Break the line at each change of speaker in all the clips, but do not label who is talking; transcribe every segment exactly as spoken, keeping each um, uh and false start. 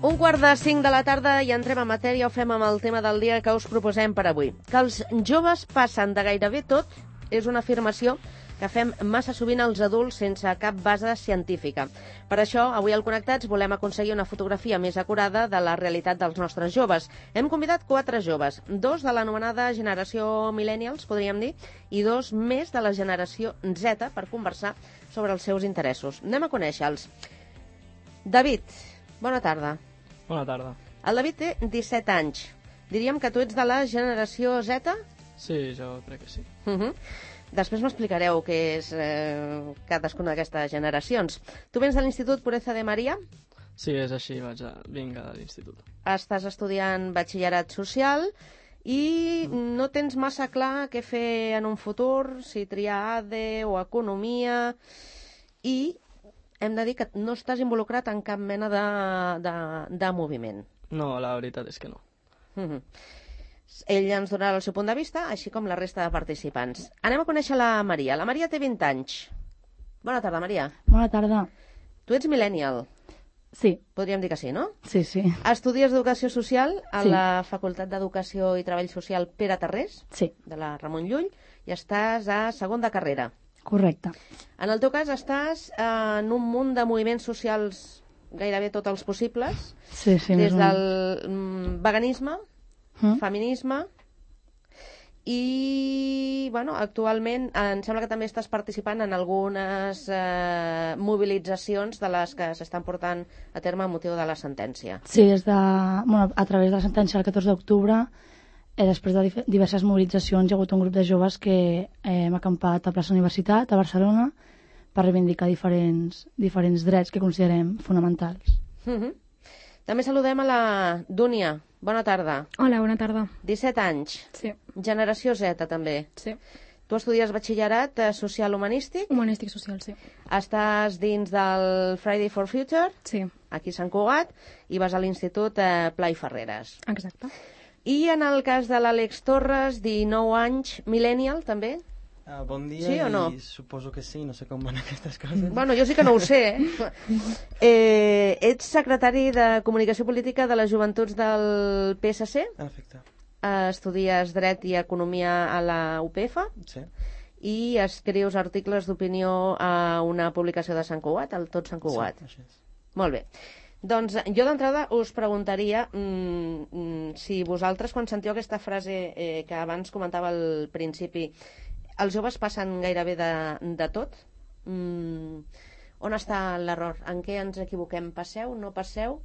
Un quart de cinc de la tarda i entrem en matèria, ho fem amb el tema del dia que us proposem per avui. Que els joves passen de gairebé tot és una afirmació que fem massa sovint els adults sense cap base científica. Per això, avui al Connectats volem aconseguir una fotografia més acurada de la realitat dels nostres joves. Hem convidat quatre joves, dos de l'anomenada generació millennials, podríem dir, i dos més de la generació Z per conversar sobre els seus interessos. Anem a conèixer-los. David, bona tarda.
Bona tarda.
El David té disset anys. Diríem que tu ets de la generació Z?
Sí, jo crec que sí.
Uh -huh. Després m'explicareu què és eh, cadascuna d'aquestes generacions. Tu vens de l'Institut Pureza de Maria?
Sí, és així, vaig a... vinc a l'institut.
Estàs estudiant batxillerat social i mm. no tens massa clar què fer en un futur, si triar A D E o economia, i hem de dir que no estàs involucrat en cap mena de, de, de moviment.
No, la veritat és que no.
Uh -huh. Ell ens donarà el seu punt de vista, així com la resta de participants. Anem a conèixer la Maria. La Maria té vint anys. Bona tarda, Maria.
Bona tarda.
Tu ets millennial.
Sí.
Podríem dir que sí, no?
Sí, sí.
Estudies d'Educació Social a
sí.
la Facultat d'Educació i Treball Social Pere Tarrés,
sí.
de la Ramon Llull, i estàs a segon de carrera.
Correcte.
En el teu cas estàs en un munt de moviments socials, gairebé tots els possibles,
sí, sí,
des del mm, veganisme, mm. feminisme, i bueno, actualment em sembla que també estàs participant en algunes eh, mobilitzacions de les que s'estan portant a terme a motiu de la sentència.
Sí, des de, bueno, a través de la sentència del catorze d'octubre, eh, després de diverses mobilitzacions, hi ha hagut un grup de joves que eh, hem acampat a plaça Universitat, a Barcelona, per reivindicar diferents, diferents drets que considerem fonamentals.
Uh-huh. També saludem a la Dúnia. Bona tarda.
Hola, bona tarda.
disset anys.
Sí.
Generació Z, també.
Sí.
Tu estudies batxillerat eh, social-humanístic?
Humanístic social, sí.
Estàs dins del Friday for Future?
Sí.
Aquí a Sant Cugat, i vas a l'Institut eh, Pla i Ferreres.
Exacte.
I en el cas de l'Àlex Torres, dinou anys, millennial, també?
Uh, bon dia,
sí o no?
I suposo que sí, no sé com van aquestes coses.
Bueno, jo sí que no ho sé, eh? eh ets secretari de Comunicació Política de les Joventuts del P S C?
Perfecte.
Eh, estudies Dret i Economia a la U P F?
Sí.
I escrius articles d'opinió a una publicació de Sant Cugat, al Tot Sant Cugat.
Sí, així és.
Molt bé. Doncs jo d'entrada us preguntaria mm, mm, si vosaltres, quan sentiu aquesta frase eh, que abans comentava al principi, els joves passen gairebé de, de tot, mm, on està l'error? En què ens equivoquem? Passeu? No passeu?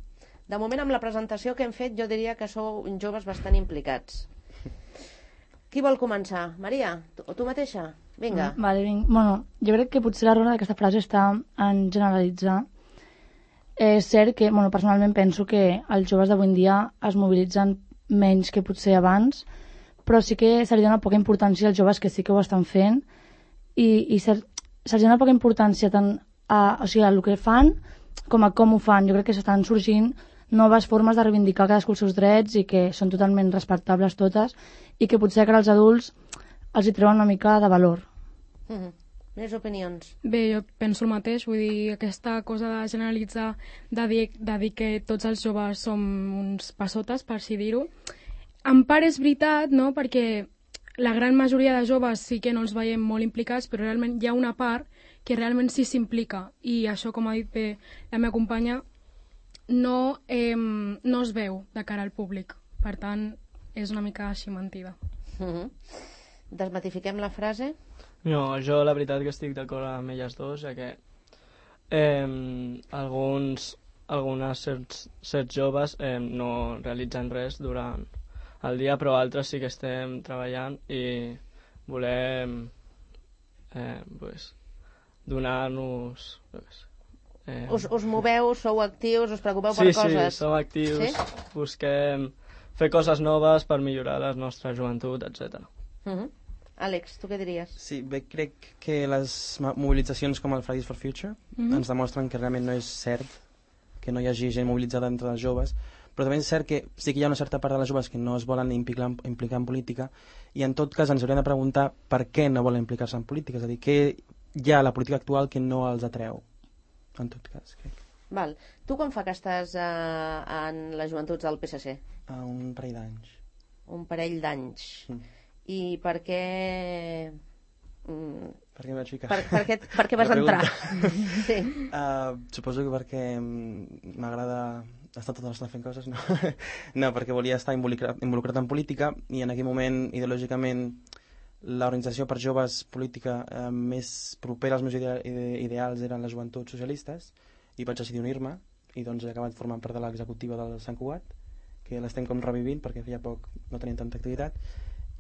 De moment, amb la presentació que hem fet, jo diria que sou joves bastant implicats. Qui vol començar? Maria? Tu, o tu mateixa? Vinga.
Mm, vale, vinc. Bueno, jo crec que potser l'error d'aquesta frase està en generalitzar. És cert que, bueno, personalment penso que els joves d'avui en dia es mobilitzen menys que potser abans, però sí que se li dona poca importància als joves que sí que ho estan fent, i, i se, se li dona poca importància tant a, o sigui, a el que fan com a com ho fan. Jo crec que s'estan sorgint noves formes de reivindicar cadascú els seus drets i que són totalment respectables totes, i que potser que als adults els hi treuen una mica de valor.
Mm-hmm. Més opinions?
Bé, jo penso el mateix, vull dir, aquesta cosa de generalitzar, de dir, de dir que tots els joves som uns passotes, per així dir-ho. En part és veritat, no?, perquè la gran majoria de joves sí que no els veiem molt implicats, però realment hi ha una part que realment sí s'implica, i això, com ha dit bé la meva companya, no, eh, no es veu de cara al públic. Per tant, és una mica així mentida.
Mm-hmm. Desmatifiquem la frase?
No, jo la veritat que estic d'acord amb elles dos, ja que eh, alguns, algunes certs, certs joves eh, no realitzen res durant el dia, però altres sí que estem treballant i volem eh, pues, donar-nos...
Eh... Us, us moveu, sou actius, us preocupeu
sí,
per coses?
Sí, som actius,
sí?
Busquem fer coses noves per millorar la nostra joventut, etcètera.
Uh-huh. Àlex, tu què diries?
Sí, bé, crec que les mobilitzacions com el Fridays for Future uh-huh. ens demostren que realment no és cert que no hi hagi gent mobilitzada entre els joves, però també és cert que sí que hi ha una certa part de les joves que no es volen implicar, implicar en política, i en tot cas ens hauríem de preguntar per què no volen implicar-se en política, és a dir, què hi ha a la política actual que no els atreu, en tot cas, crec.
Val. Tu quan fa que estàs uh, en les joventuts del P S C?
Uh, un parell d'anys.
Un parell d'anys.
Mm.
I per què... Mm,
Per què em vaig ficar?
per, per, què, per què vas entrar? Sí.
Uh, suposo que perquè m'agrada estar tota l'estona fent coses, no? No, perquè volia estar involucrat, involucrat en política i en aquell moment, ideològicament, l'organització per joves política eh, més propera als meus ide ideals eren les joventuts socialistes i vaig decidir unir-me i doncs he acabat formant part de l'executiva del Sant Cugat, que l'estem com revivint perquè feia poc no tenien tanta activitat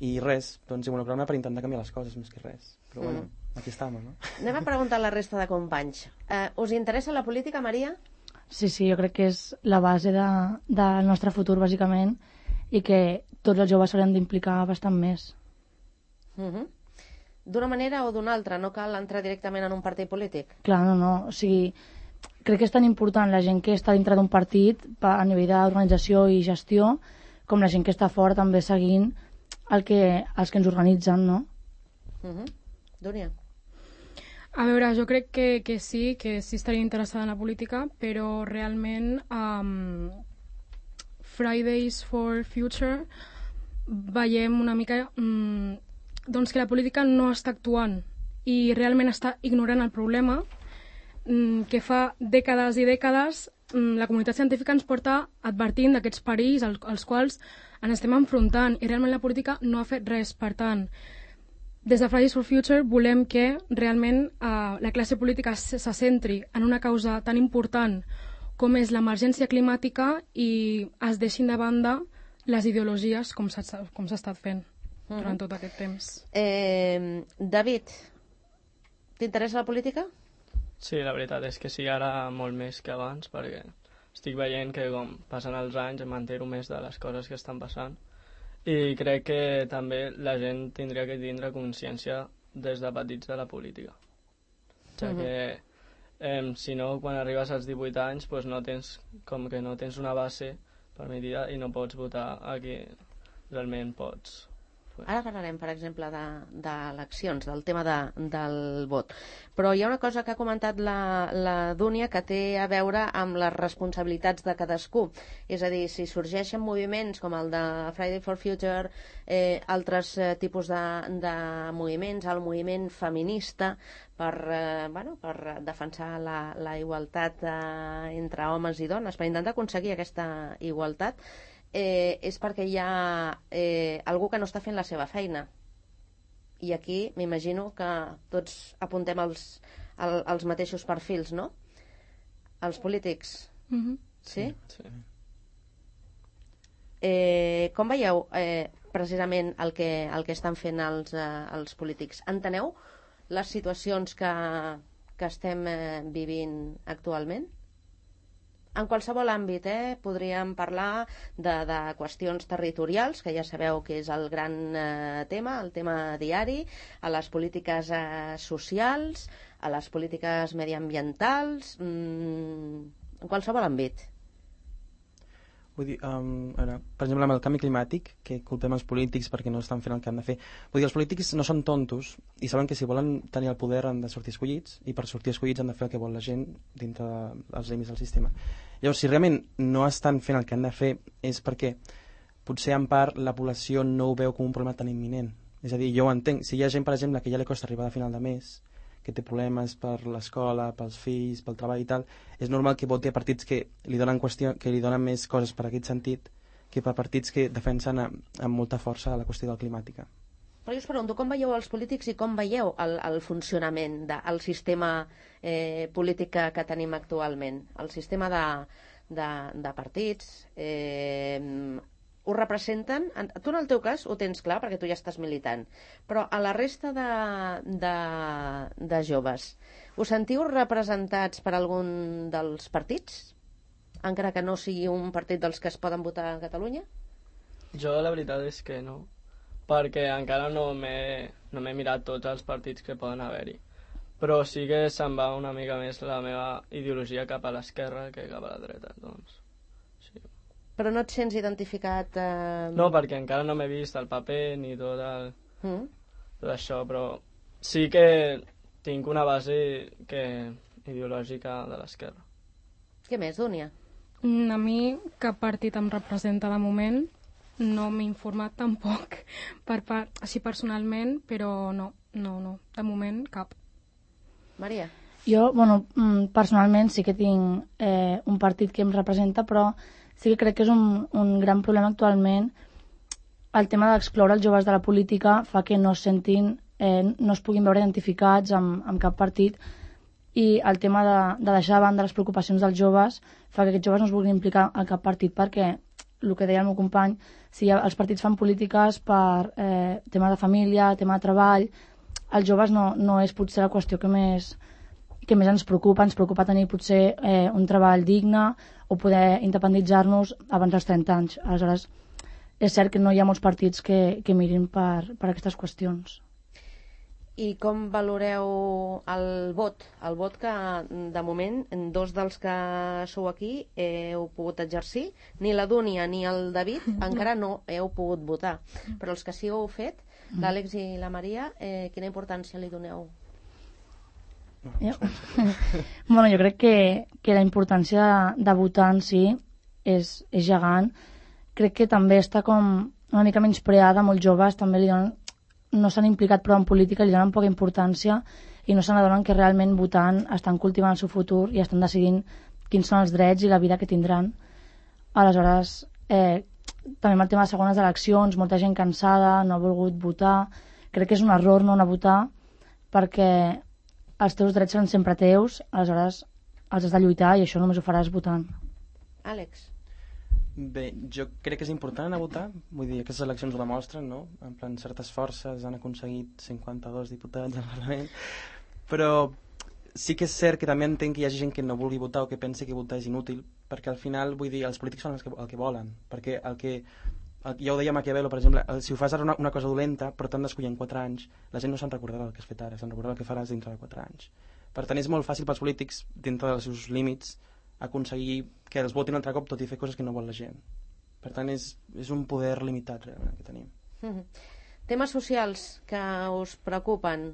i res, doncs involucrar-me per intentar canviar les coses més que res, però bueno, mm. aquí estem, no?
Anem a preguntar a la resta de companys. Uh, us interessa la política, Maria?
Sí, sí, jo crec que és la base de, del nostre futur, bàsicament, i que tots els joves s'haurien d'implicar bastant més.
Uh -huh. D'una manera o d'una altra, no cal entrar directament en un partit polític?
Clar, no, no, o sigui, crec que és tan important la gent que està dintre d'un partit a nivell d'organització i gestió com la gent que està fora també seguint el que, els que ens organitzen, no?
Uh -huh. Dúnia?
A veure, jo crec que, que sí, que sí estaria interessada en la política, però realment um, Fridays for Future veiem una mica um, doncs que la política no està actuant i realment està ignorant el problema um, que fa dècades i dècades um, la comunitat científica ens porta advertint d'aquests perills als, als quals ens estem enfrontant i realment la política no ha fet res. Per tant, des de Fridays for Future volem que realment eh, la classe política se, se centri en una causa tan important com és l'emergència climàtica i es deixin de banda les ideologies com s'ha com s'ha estat fent uh-huh. durant tot aquest temps.
Eh, David, t'interessa la política?
Sí, la veritat és que sí, ara molt més que abans, perquè estic veient que com passen els anys em entero més de les coses que estan passant. I crec que també la gent tindria que tindre consciència des de petits de la política. Ja uh-huh. que eh, si no, quan arribes als divuit anys pues no tens, com que no tens una base permitida i no pots votar a qui realment pots.
Ara parlarem, per exemple, d'eleccions, de, del tema de, del vot. Però hi ha una cosa que ha comentat la, la Dúnia que té a veure amb les responsabilitats de cadascú. És a dir, si sorgeixen moviments com el de Friday for Future, eh, altres eh, tipus de, de moviments, el moviment feminista, per, eh, bueno, per defensar la, la igualtat eh, entre homes i dones, per intentar aconseguir aquesta igualtat, Eh, és perquè hi ha eh, algú que no està fent la seva feina. I aquí m'imagino que tots apuntem els, el, els mateixos perfils, no? Els polítics.
Mm-hmm.
Sí?
Sí.
Eh, com veieu eh, precisament el que, el que estan fent els, eh, els polítics? Enteneu les situacions que, que estem eh, vivint actualment? En qualsevol àmbit, eh, podríem parlar de, de qüestions territorials, que ja sabeu que és el gran eh, tema, el tema diari, a les polítiques eh, socials, a les polítiques mediambientals, mmm, en qualsevol àmbit.
Vull dir, um, ara, per exemple, amb el canvi climàtic, que culpem els polítics perquè no estan fent el que han de fer. Vull dir, els polítics no són tontos i saben que si volen tenir el poder han de sortir escollits i per sortir escollits han de fer el que vol la gent dintre dels límits del sistema. Llavors, si realment no estan fent el que han de fer és perquè potser en part la població no ho veu com un problema tan imminent. És a dir, jo ho entenc. Si hi ha gent, per exemple, que ja li costa arribar a final de mes, que té problemes per l'escola, pels fills, pel treball i tal, és normal que voti a partits que li donen, qüestió, que li donen més coses per aquest sentit que per partits que defensen a, amb molta força la qüestió del climàtica.
Però jo us pregunto, com veieu els polítics i com veieu el, el funcionament del sistema eh, polític que, que tenim actualment? El sistema de, de, de partits... Eh, ho representen, tu en el teu cas ho tens clar perquè tu ja estàs militant, però a la resta de, de, de joves, us sentiu representats per algun dels partits? Encara que no sigui un partit dels que es poden votar a Catalunya?
Jo la veritat és que no, perquè encara no m'he no m'he mirat tots els partits que poden haver-hi, però sí que se'n va una mica més la meva ideologia cap a l'esquerra que cap a la dreta, doncs sí.
Però no et sents identificat... Eh...
No, perquè encara no m'he vist el paper ni tot, el, mm. tot això, però sí que tinc una base que, ideològica de l'esquerra.
Què més, Dúnia?
Mm, A mi cap partit em representa de moment, no m'he informat tampoc per part, així personalment, però no, no, no, de moment cap.
Maria?
Jo, bueno, mm, personalment sí que tinc eh, un partit que em representa, però sí que crec que és un, un gran problema actualment. El tema d'excloure els joves de la política fa que no es sentin, eh, no es puguin veure identificats amb, amb cap partit, i el tema de, de deixar de banda les preocupacions dels joves fa que aquests joves no es vulguin implicar en cap partit, perquè el que deia el meu company, si els partits fan polítiques per eh, tema de família, tema de treball, els joves no, no és potser la qüestió que més, que més ens preocupa. Ens preocupa tenir potser eh, un treball digne o poder independitzar-nos abans dels trenta anys. Aleshores, és cert que no hi ha molts partits que, que mirin per, per aquestes qüestions.
I com valoreu el vot? El vot que, de moment, dos dels que sou aquí heu pogut exercir. Ni la Dúnia ni el David encara no heu pogut votar. Però els que sí ho heu fet, l'Àlex i la Maria, eh, quina importància li doneu?
Jo, bueno, jo crec que, que la importància de, de votar en si és, és gegant. Crec que també està com una mica menyspreada, molts joves també li donen, no s'han implicat prou en política, li donen poca importància i no se n'adonen que realment votant estan cultivant el seu futur i estan decidint quins són els drets i la vida que tindran. Aleshores, eh, també amb el tema de segones eleccions, molta gent cansada, no ha volgut votar. Crec que és un error no anar a votar, perquè els teus drets seran sempre teus, aleshores els has de lluitar i això només ho faràs votant.
Àlex?
Bé, jo crec que és important anar a votar, vull dir, aquestes eleccions ho demostren, no? En plan, certes forces han aconseguit cinquanta-dos diputats al Parlament, però sí que és cert que també entenc que hi hagi gent que no vulgui votar o que pensi que votar és inútil, perquè al final, vull dir, els polítics fan el que, el que volen, perquè el que, el, ja ho deia Maquiavelo, per exemple, el, si ho fas ara una, una cosa dolenta, però t'han d'escollir en quatre anys, la gent no se'n recordarà del que has fet ara, se'n recordarà el que faràs dintre de quatre anys. Per tant, és molt fàcil pels polítics, dintre dels seus límits, aconseguir que els votin altre cop tot i fer coses que no vol la gent. Per tant, és, és un poder limitat realment que tenim.
Mm-hmm. Temes socials que us preocupen.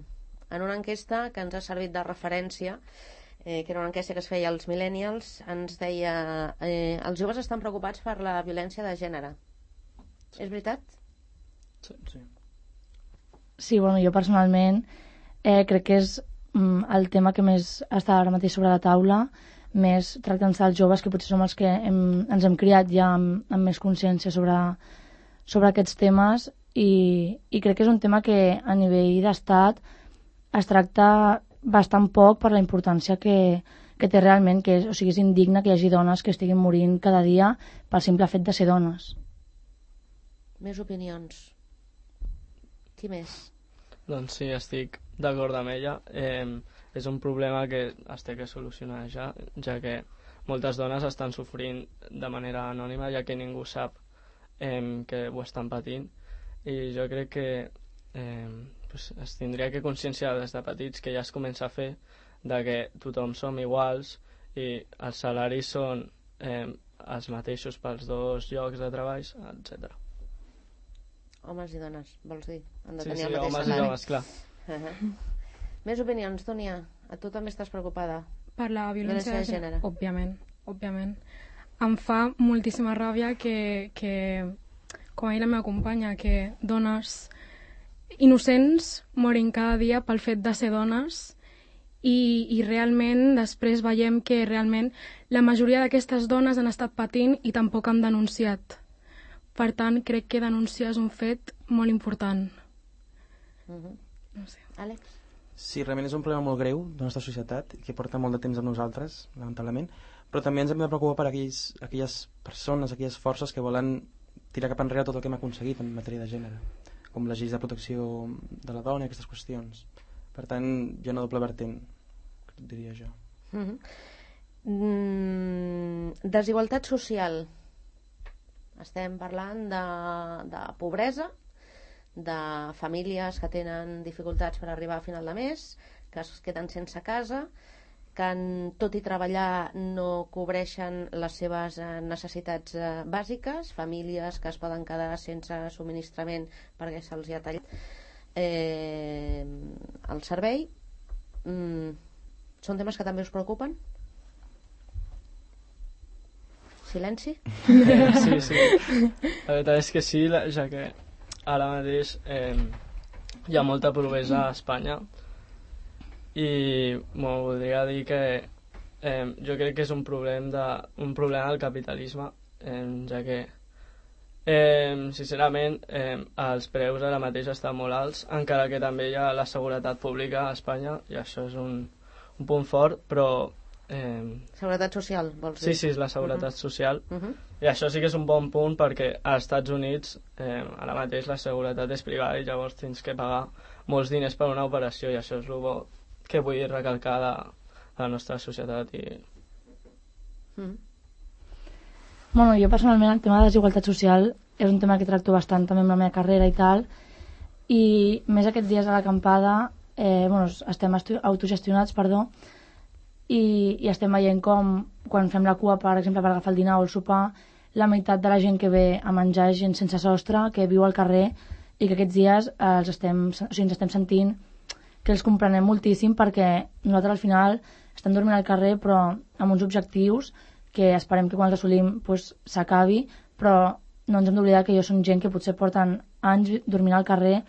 En una enquesta que ens ha servit de referència, eh, que era una enquesta que es feia als millennials, ens deia eh, els joves estan preocupats per la violència de gènere. Sí. És veritat?
Sí, sí.
Sí, bueno, jo personalment eh, crec que és mm, el tema que més està ara mateix sobre la taula, més tractant-se als joves, que potser som els que hem, ens hem criat ja amb, amb més consciència sobre, sobre aquests temes, i, i crec que és un tema que a nivell d'estat es tracta bastant poc per la importància que, que té realment, que és, o sigui, és indigne que hi hagi dones que estiguin morint cada dia pel simple fet de ser dones.
Més opinions. Qui més?
Doncs sí, estic d'acord amb ella. Eh, és un problema que es té que solucionar ja, ja que moltes dones estan sofrint de manera anònima, ja que ningú sap eh, que ho estan patint, i jo crec que eh, pues, es tindria que conscienciar des de petits, que ja es comença a fer, de que tothom som iguals i els salaris són eh, els mateixos pels dos llocs de treball, etcètera.
Homes i dones, vols dir? Han de
Sí,
tenir
sí,
el mateix
homes i
salari.
dones, clar.
Uh-huh. Més opinions, Dúnia? A tu també estàs preocupada?
Per la violència,
Violència de
de gènere,
gènere.
òbviament, òbviament. Em fa moltíssima ràbia que, que, com ha dit la meva companya, que dones innocents morin cada dia pel fet de ser dones, i, i realment després veiem que realment la majoria d'aquestes dones han estat patint i tampoc han denunciat. Per tant, crec que denunciar és un fet molt important.
Uh-huh.
No sé.
Àlex?
Sí, realment és un problema molt greu de la nostra societat i que porta molt de temps amb nosaltres, lamentablement, però també ens hem de preocupar per aquells, aquelles persones, aquelles forces que volen tirar cap enrere tot el que hem aconseguit en matèria de gènere, com les lleis de protecció de la dona i aquestes qüestions. Per tant, hi ha una doble vertent, diria jo.
Uh-huh. mm, desigualtat social. Estem parlant de, de pobresa, de famílies que tenen dificultats per arribar a final de mes, que es queden sense casa, que en, tot i treballar no cobreixen les seves eh, necessitats eh, bàsiques, famílies que es poden quedar sense subministrament perquè se'ls ha tallat eh, el servei. Mm, són temes que també us preocupen? Silenci?
Eh, sí, sí. La veritat és que sí, la- ja que ara mateix eh, hi ha molta pobresa a Espanya i bueno, voldria dir que eh, jo crec que és un problema, de, un problema del capitalisme, eh, ja que eh, sincerament eh, els preus ara mateix estan molt alts, encara que també hi ha la seguretat pública a Espanya i això és un, un punt fort, però eh,
Seguretat social, vols
sí,
dir?
sí, és la seguretat social.
Uh -huh.
I això sí que és un bon punt perquè als Estats Units eh, ara mateix la seguretat és privada i llavors tens que pagar molts diners per una operació i això és el bo que vull recalcar de, de la nostra societat. I...
Mm.
Bueno, jo personalment el tema de desigualtat social és un tema que tracto bastant també amb la meva carrera i tal, i més aquests dies a l'acampada eh, bueno, estem autogestionats, perdó, i, i estem veient com quan fem la cua, per exemple, per agafar el dinar o el sopar, la meitat de la gent que ve a menjar és gent sense sostre, que viu al carrer i que aquests dies eh, els estem, o sigui, ens estem sentint que els comprenem moltíssim perquè nosaltres al final estem dormint al carrer però amb uns objectius que esperem que quan els assolim pues, s'acabi, però no ens hem d'oblidar que jo són gent que potser porten anys dormint al carrer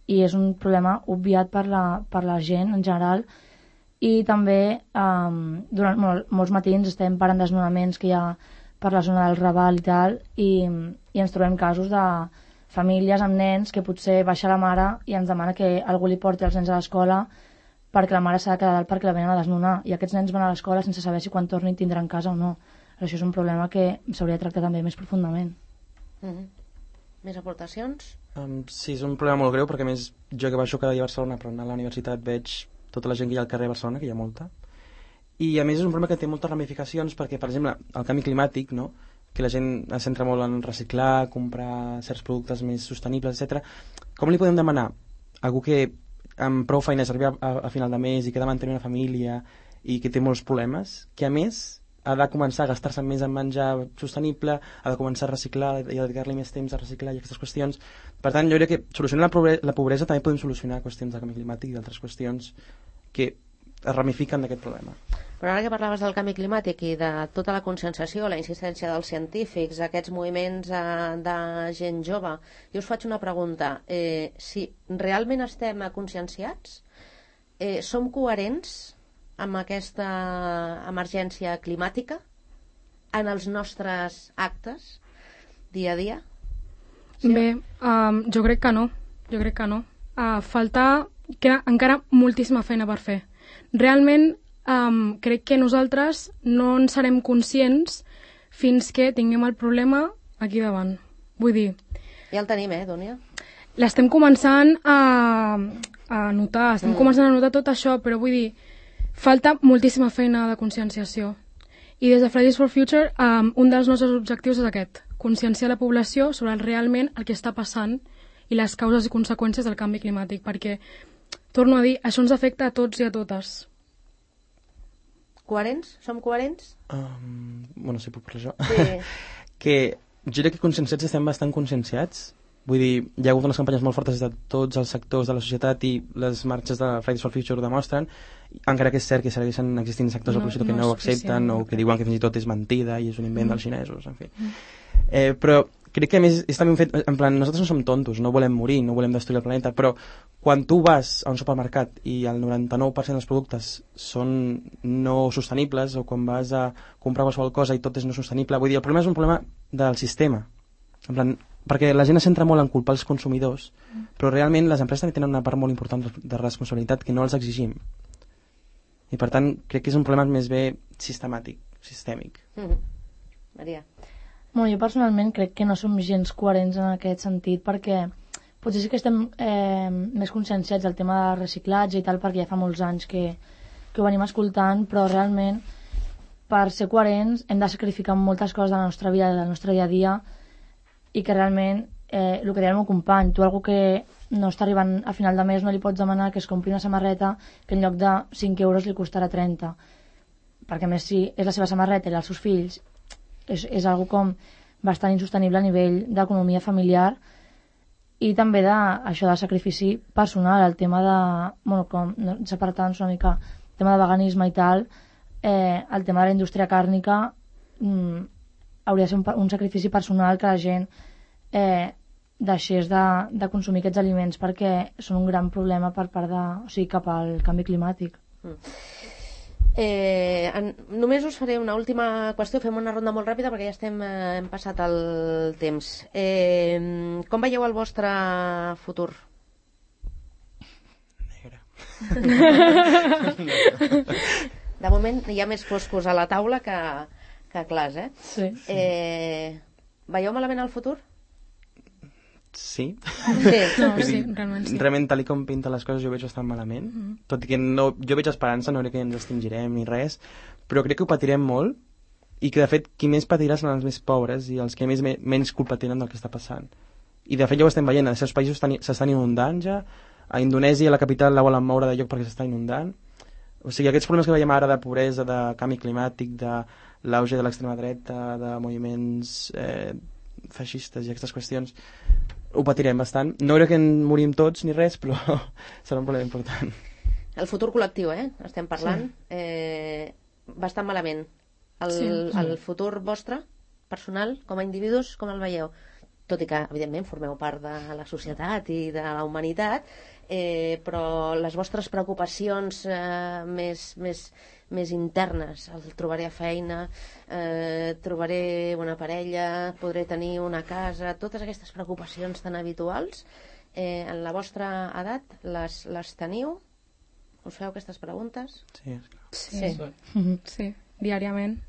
i és un problema obviat per la, per la gent en general. I també um, durant mol, molts matins estem parant desnonaments que hi ha per la zona del Raval i tal, i, i ens trobem casos de famílies amb nens que potser baixa la mare i ens demana que algú li porti els nens a l'escola perquè la mare s'ha de quedar dalt perquè la venen a desnonar, i aquests nens van a l'escola sense saber si quan tornin tindran casa o no. Això és un problema que s'hauria de tractar també més profundament.
Mm -hmm. Més aportacions?
Um, sí, és un problema molt greu perquè a més jo que baixo cada dia a Barcelona però anar a la universitat veig tota la gent que hi ha al carrer de Barcelona, que hi ha molta, i a més és un problema que té moltes ramificacions perquè, per exemple, el canvi climàtic, no? Que la gent es centra molt en reciclar, comprar certs productes més sostenibles, etcètera. Com li podem demanar a algú que amb prou feines arriba a, a final de mes i que ha de mantenir una família i que té molts problemes, que a més ha de començar a gastar-se més en menjar sostenible, ha de començar a reciclar i a dedicar-li més temps a reciclar i aquestes qüestions. Per tant, jo crec que solucionar la pobresa, la pobresa també podem solucionar qüestions de canvi climàtic i d'altres qüestions que es ramifiquen d'aquest problema.
Però ara que parlaves del canvi climàtic i de tota la conscienciació, la insistència dels científics, aquests moviments eh, de gent jove, jo us faig una pregunta. Eh, si realment estem conscienciats, eh, som coherents amb aquesta emergència climàtica en els nostres actes dia a dia?
Sí? Bé, um, jo crec que no. Jo crec que no. Uh, falta queda encara moltíssima feina per fer. Realment um, crec que nosaltres no en serem conscients fins que tinguem el problema aquí davant. Vull dir...
Ja el tenim, eh, Dúnia?
L'estem començant a, a notar, estem mm. començant a notar tot això, però vull dir, falta moltíssima feina de conscienciació. I des de Fridays for Future, um, un dels nostres objectius és aquest, conscienciar la població sobre realment el que està passant i les causes i conseqüències del canvi climàtic, perquè, torno a dir, això ens afecta a tots i a totes.
Coherents? Som coherents?
Um, bueno, si puc parlar jo.
Sí.
Que jo crec que conscienciats estem bastant conscienciats. Vull dir, hi ha hagut unes campanyes molt fortes de tots els sectors de la societat i les marxes de Fridays for Future ho demostren, encara que és cert que segueixen existint sectors no, de la societat que no, no ho accepten o que diuen que fins i tot és mentida i és un invent mm. dels xinesos, en fi. Mm. Eh, però crec que a més és també un fet, en plan, nosaltres no som tontos, no volem morir, no volem destruir el planeta, però quan tu vas a un supermercat i el noranta-nou per cent dels productes són no sostenibles, o quan vas a comprar qualsevol cosa i tot és no sostenible, vull dir, el problema és un problema del sistema, en plan, perquè la gent es centra molt en culpar els consumidors, mm. però realment les empreses també tenen una part molt important de responsabilitat que no els exigim. I per tant, crec que és un problema més bé sistemàtic, sistèmic.
Mm. Maria.
Bueno, jo personalment crec que no som gens coherents en aquest sentit, perquè potser sí que estem eh, més conscienciats del tema de reciclatge i tal, perquè ja fa molts anys que, que ho venim escoltant, però realment per ser coherents hem de sacrificar moltes coses de la nostra vida, del nostre dia a dia, i que realment, eh, el que deia el meu company, tu algú que no està arribant a final de mes no li pots demanar que es compri una samarreta que en lloc de cinc euros li costarà trenta, perquè a més si és la seva samarreta i els seus fills és, és algo com bastant insostenible a nivell d'economia familiar, i també de, això de sacrifici personal, el tema de, bueno, com separant-nos una mica, el tema de veganisme i tal, eh, el tema de la indústria càrnica, mm, hauria de ser un, un sacrifici personal que la gent eh, deixés de, de consumir aquests aliments perquè són un gran problema per part de, o sigui, cap al canvi climàtic.
Mm. Eh, en, només us faré una última qüestió, fem una ronda molt ràpida perquè ja estem, eh, hem passat el temps. Eh, com veieu el vostre futur?
Negre.
De moment hi ha més foscos a la taula que, que clars, eh?
Sí.
Eh, veieu malament el futur?
Sí.
Sí.
No, sí, realment sí.
Realment, tal com pinta les coses, jo veig bastant malament. Mm -hmm. Tot i que no, jo veig esperança, no crec que ens extingirem ni res, però crec que ho patirem molt i que, de fet, qui més patirà són els més pobres i els que més, me, menys culpa tenen del que està passant. I, de fet, ja ho estem veient, els seus països s'estan inundant ja, a Indonèsia, la capital, la volen moure de lloc perquè s'està inundant. O sigui, aquests problemes que veiem ara de pobresa, de canvi climàtic, de l'auge de l'extrema dreta, de moviments eh, feixistes i aquestes qüestions, ho patirem bastant. No crec que en morim tots ni res, però serà un problema important.
El futur col·lectiu, eh? Estem parlant. Sí. Eh, bastant malament. El, sí, sí. El futur vostre, personal, com a individus, com el veieu? Tot i que, evidentment, formeu part de la societat i de la humanitat, eh, però les vostres preocupacions eh, més, més, més internes, el trobaré feina, eh, trobaré una parella, podré tenir una casa, totes aquestes preocupacions tan habituals, eh, en la vostra edat les, les teniu? Us feu aquestes preguntes?
Sí, esclar.
Sí, sí. sí. sí. diàriament.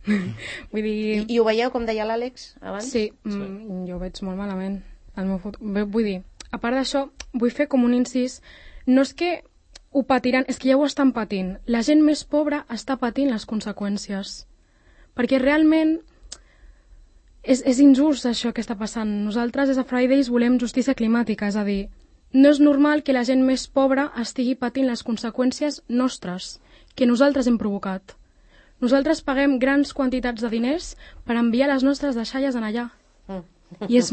Vull dir...
I, I ho veieu, com deia l'Àlex abans?
Sí, sí. Mm, jo ho veig molt malament. El meu futur. Vull dir, a part d'això, vull fer com un incís. No és que ho patiran, és que ja ho estan patint. La gent més pobra està patint les conseqüències. Perquè realment és, és injust això que està passant. Nosaltres, des de Fridays, volem justícia climàtica, és a dir, no és normal que la gent més pobra estigui patint les conseqüències nostres, que nosaltres hem provocat. Nosaltres paguem grans quantitats de diners per enviar les nostres deixalles en allà. Mm. I és...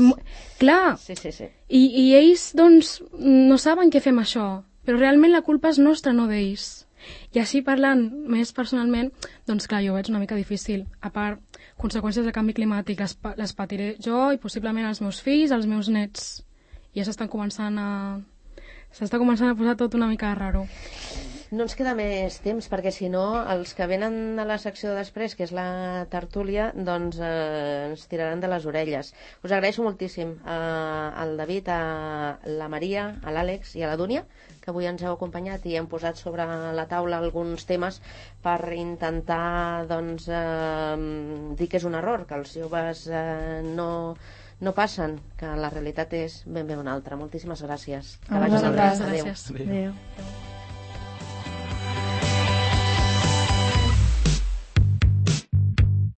Clar!
Sí, sí, sí.
I, I ells, doncs, no saben què fem això, però realment la culpa és nostra, no d'ells. I així parlant més personalment, doncs clar, jo ho veig una mica difícil. A part, conseqüències del canvi climàtic les, les patiré jo i possiblement els meus fills, els meus nets. I ja s'estan començant a... s'està començant a posar tot una mica raro.
No ens queda més temps, perquè si no, els que venen a la secció de després, que és la tertúlia, doncs eh, ens tiraran de les orelles. Us agraeixo moltíssim eh, al David, a la Maria, a l'Àlex i a la Dúnia, que avui ens heu acompanyat i hem posat sobre la taula alguns temes per intentar doncs, eh, dir que és un error, que els joves eh, no... no passen, que la realitat és ben bé una altra. Moltíssimes gràcies. Que
Ah,
vagi
gràcies.
Adéu.
Adéu. Adéu.